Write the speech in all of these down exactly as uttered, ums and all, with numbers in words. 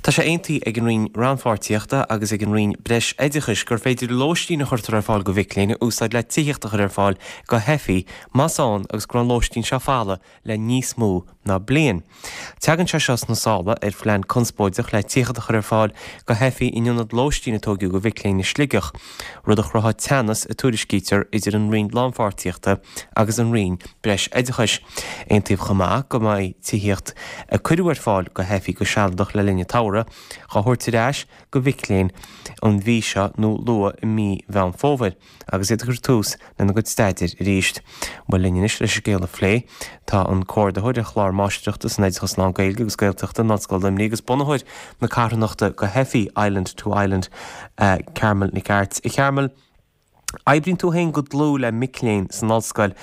Tá sé aontaithe ag an Roinn Rannpháirtíochta agus ag an Roinn Breis Oideachais gur féidir lóistín a chuirtear ar fáil go mhic léinn a úsáid le tithíocht a chur ar fáil go theifigh más ann agus go raibh an lóistín seo folamh le níos mó ná bliain. Tagann sé seo sna sála ar phlean conspóideach le tithíocht a chur ar fáil go theifigh in ionad lóistín a tógadh go mhic léinn i Sligeach, rud a chruthaigh teannas a tuairiscítear idir an Roinn Lánpháirtíochta agus an Roinn Breis Oideachais. Aontaíodh chomh maith go mbeidh tithíocht a cuireadh ar fáil go theifigh go sealadach le linn an tsamhraidh á thabhairt ar ais go mhic léinn an mhí seo nó luath i mí Mheán Fómhair agus iad ag cur tús lena gcuid staidéir arís. Bhuel linn anois leis an scéal a phlé tá an comhordaitheoir ar chlár máistreachta san oideachas lán-Ghaeilge agus Gaeltachta in Ollscoil Luimnigh agus bunaitheoir na carthanachta go theifigh Island to Island uh, Carmel Nic Airt. A Charmel, oibríonn tú féin go dlúth le mic léinn san ollscoil.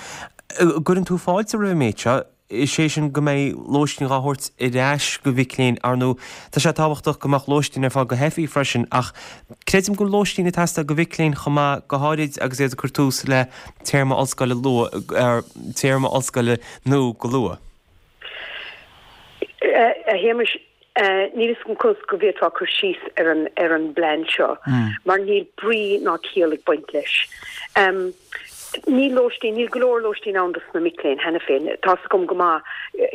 Cuireann tú fáilte roimh an méid seo, is é sin go mbeidh lóistín á thabhairt ar ais go mhic léinn ar ndóigh tá sé tábhachtach go mbeadh lóistín ar fáil go theifigh freisin ach creidim go lóistín ag teastáil go mhic léinn chomh maith go háirid agus iad ag cur tús le téarma ollscoile luath ar téarma ollscoile nó go luath. A Shéamais níl an cos go bhféadfá cur síos ar an ar an bplean seo mar níl brí ná ciall ag baint leis. Um, Ní lóistín níl go leor lóistín ann dos na mic léinn cheana féin Tá gom go maith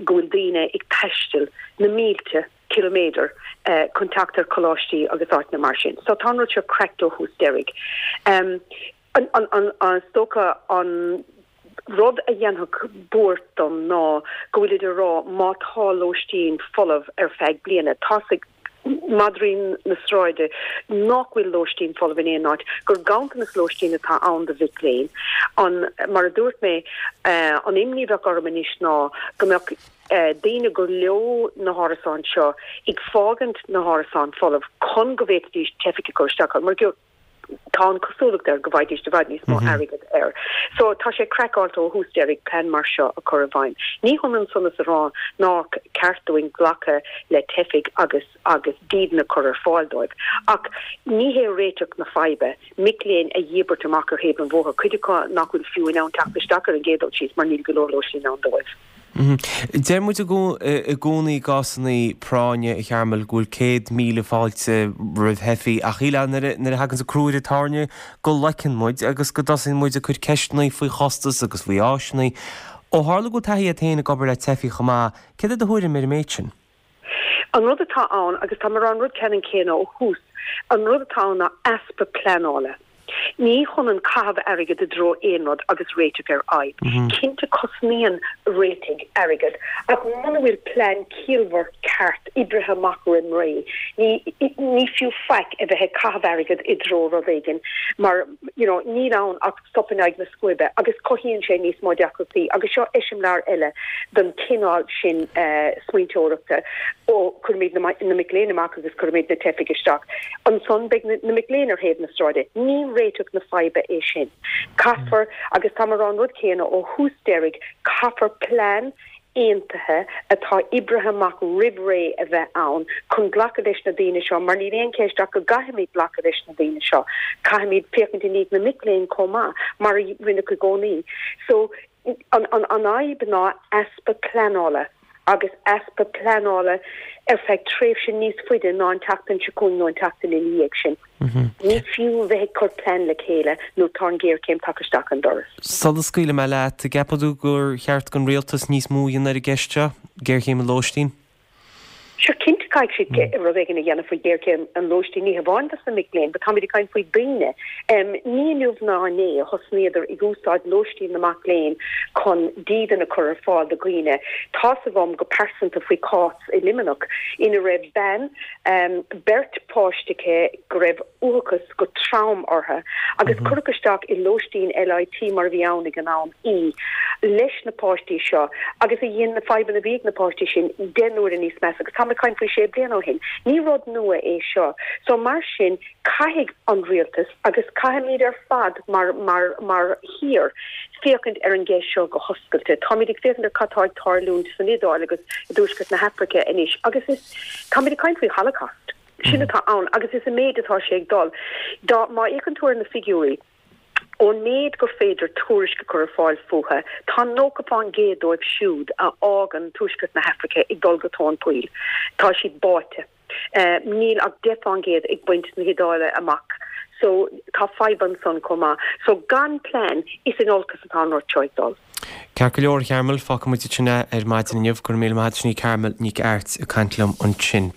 go bhfuil daoine ag taisteal na mílte kilometer uh, chun teacht ar choláistí agus áiteanna mar sin. So tá rud seo craiceáilte ó thús deireadh. Um, an, an, an, an stoca an rud a dhéanfadh buairt dom ná go bhfuil idir rá má tá lóistín folamh ar feadh bliana tá madraí na sráide nach bhfuil lóistín folamh in aon áit gur ganntanas lóistín atá ann do mhic léinn an mar a dúirt mé uh, an imní bheadh orm anois ná go mbeadh uh, daoine go leo na hárasáin seo ag fágaint na hárasáin folamh chun go bhféadfaidís teifigh a chur isteach mar go tá an cosúlacht air go bhfaighidís i bhfad níos mó mhm. airgead air. So tá sé craiceáilte ó thús deireadh plean mar seo a chur i bhfeidhm. Ní hionann san is a rá nár cheart dúinn glacadh le teifigh agus agus dídean a chur ar fáil dóibh. Ach ní hé réiteach na faidhbe, mic léinn a dhíbirt amach ar thaobh an bhóthair cuid acu nach bhfuil fiú in ann teacht isteach ar an gcéad dul síos mar níl go leor lóistín ann dóibh. Mhm. Deir muid i gcónaí i gcásanna práinne a Charmel go bhfuil céad míle fáilte roimh theifigh ach shílfeá nuair a thagann an crú ar an tairne go loiceann muid agus go dtosaíonn muid ag cur ceisteanna faoi chostas agus faoi áiseanna. Ó tharla go bhfuil taithí agat féin ag obair le teifigh chomh maith, céard é do thuairim ar an méid sin? An rud atá ann agus tá mar an rud ceannann céanna ó thús, an rud atá ann ná easpa pleanála. Ní hionann caitheamh airgead i dtreo aon rud agus réiteach ar fhadhb. Mm -hmm. Cinnte cosnaíonn réitigh airgead ach muna bhfuil plean ciallmhar ceart oibrithe amach roimh ré. Ní, ní fiú faic a bheith ag caitheamh airgead i dtreo rud éigin mar you know, níl ann ach sop in aghaidh na scuaibe agus cothaíonn sé níos mó deacrachtaí agus seo eiseamláir eile den cineál sin uh, smaointeoireachta ó cuirimid na, na mic léinn amach agus cuirimid na teifigh isteach. Ansan beidh na, na mic léinn ar thaobh na sráide. Ní réiteach na faidhbe é sin. Caithfear agus tá mar an rud céanna ó thús deireadh caithfear plean aontaithe atá oibrithe amach roimh ré a bheith ann chun glacadh leis na daoine seo mar níl aon cheist ach go gcaithfimid glacadh leis na daoine seo. Caithfimid féachaint i ndiaidh na mic léinn chomh maith mar a rinneadh i gcónaí. So an, an, an fhadhb ná easpa pleanála agus easpa pleanála ar feadh tréimhse níos faide ná an tseachtain seo chugainn nó an tseachtain ina dhiaidh sin. Mm -hmm. Ní fiú bheith ag cur plean le chéile nó tá an ghéarchéim tagtha isteach an doras. Sula scaoilfidh mé leat, ceapann tú gur cheart don rialtas níos mó a dhéanamh ar an gceist seo, géarchéim an lóistín? Sure cinnte caithfidh siad mm. rud éigin a dhéanamh faoi ghéarchéim an lóistín ní hamháin dos na mic léinn, but táimid ag caint faoi daoine. Um, ní inniu ná inné a thosnaíodar ag úsáid lóistín na mac léinn chun dídean a chur ar fáil do dhaoine. Tá a fhios agam go pearsanta faoi chás i Luimneach ina raibh bean um, beirt páiste go raibh uathachas go trom orthu agus mm -hmm. cuireadh isteach i lóistín LIT mar bhí ann ag an am í leis na páistí seo agus a dhéan na fadhbanna a bhí ag na páistí sin deich n-uaire níos measa agus tá caint faoi sé bliana ó shin. Ní rud nua é seo. So mar sin caithfidh an rialtas agus caithfimid ar fad mar mar mar thír féachaint ar an gceist seo go hoscailte. Táimid ag féachaint ar cad atá ag tarlúint san Iodáil agus i dtuaisceart na hAfraice anois agus is táimid ag caint faoi Holocaust. Sin mhm. atá ann agus is an méid atá sé ag dul. Dá má fhéachann tú ar na figiúirí ón méid gur féidir tuairisc a chur ar fáil fúthu, tá nócha faoin gcéad dóibh siúd a fhágann tuaisceart na hAfraice ag dul go tóin poill. Tá siad báite. Uh, níl ach deich faoin gcéad ag baint na hIodáile amach. So tá fadhb ansan chomh maith. So gan plean is in olcas atá an rud seo ag dul. Ceart go leor Carmel fágfaidh muid sin ar maidin inniu go raibh míle maith agat Carmel Nic Airt ag caint liom ansin.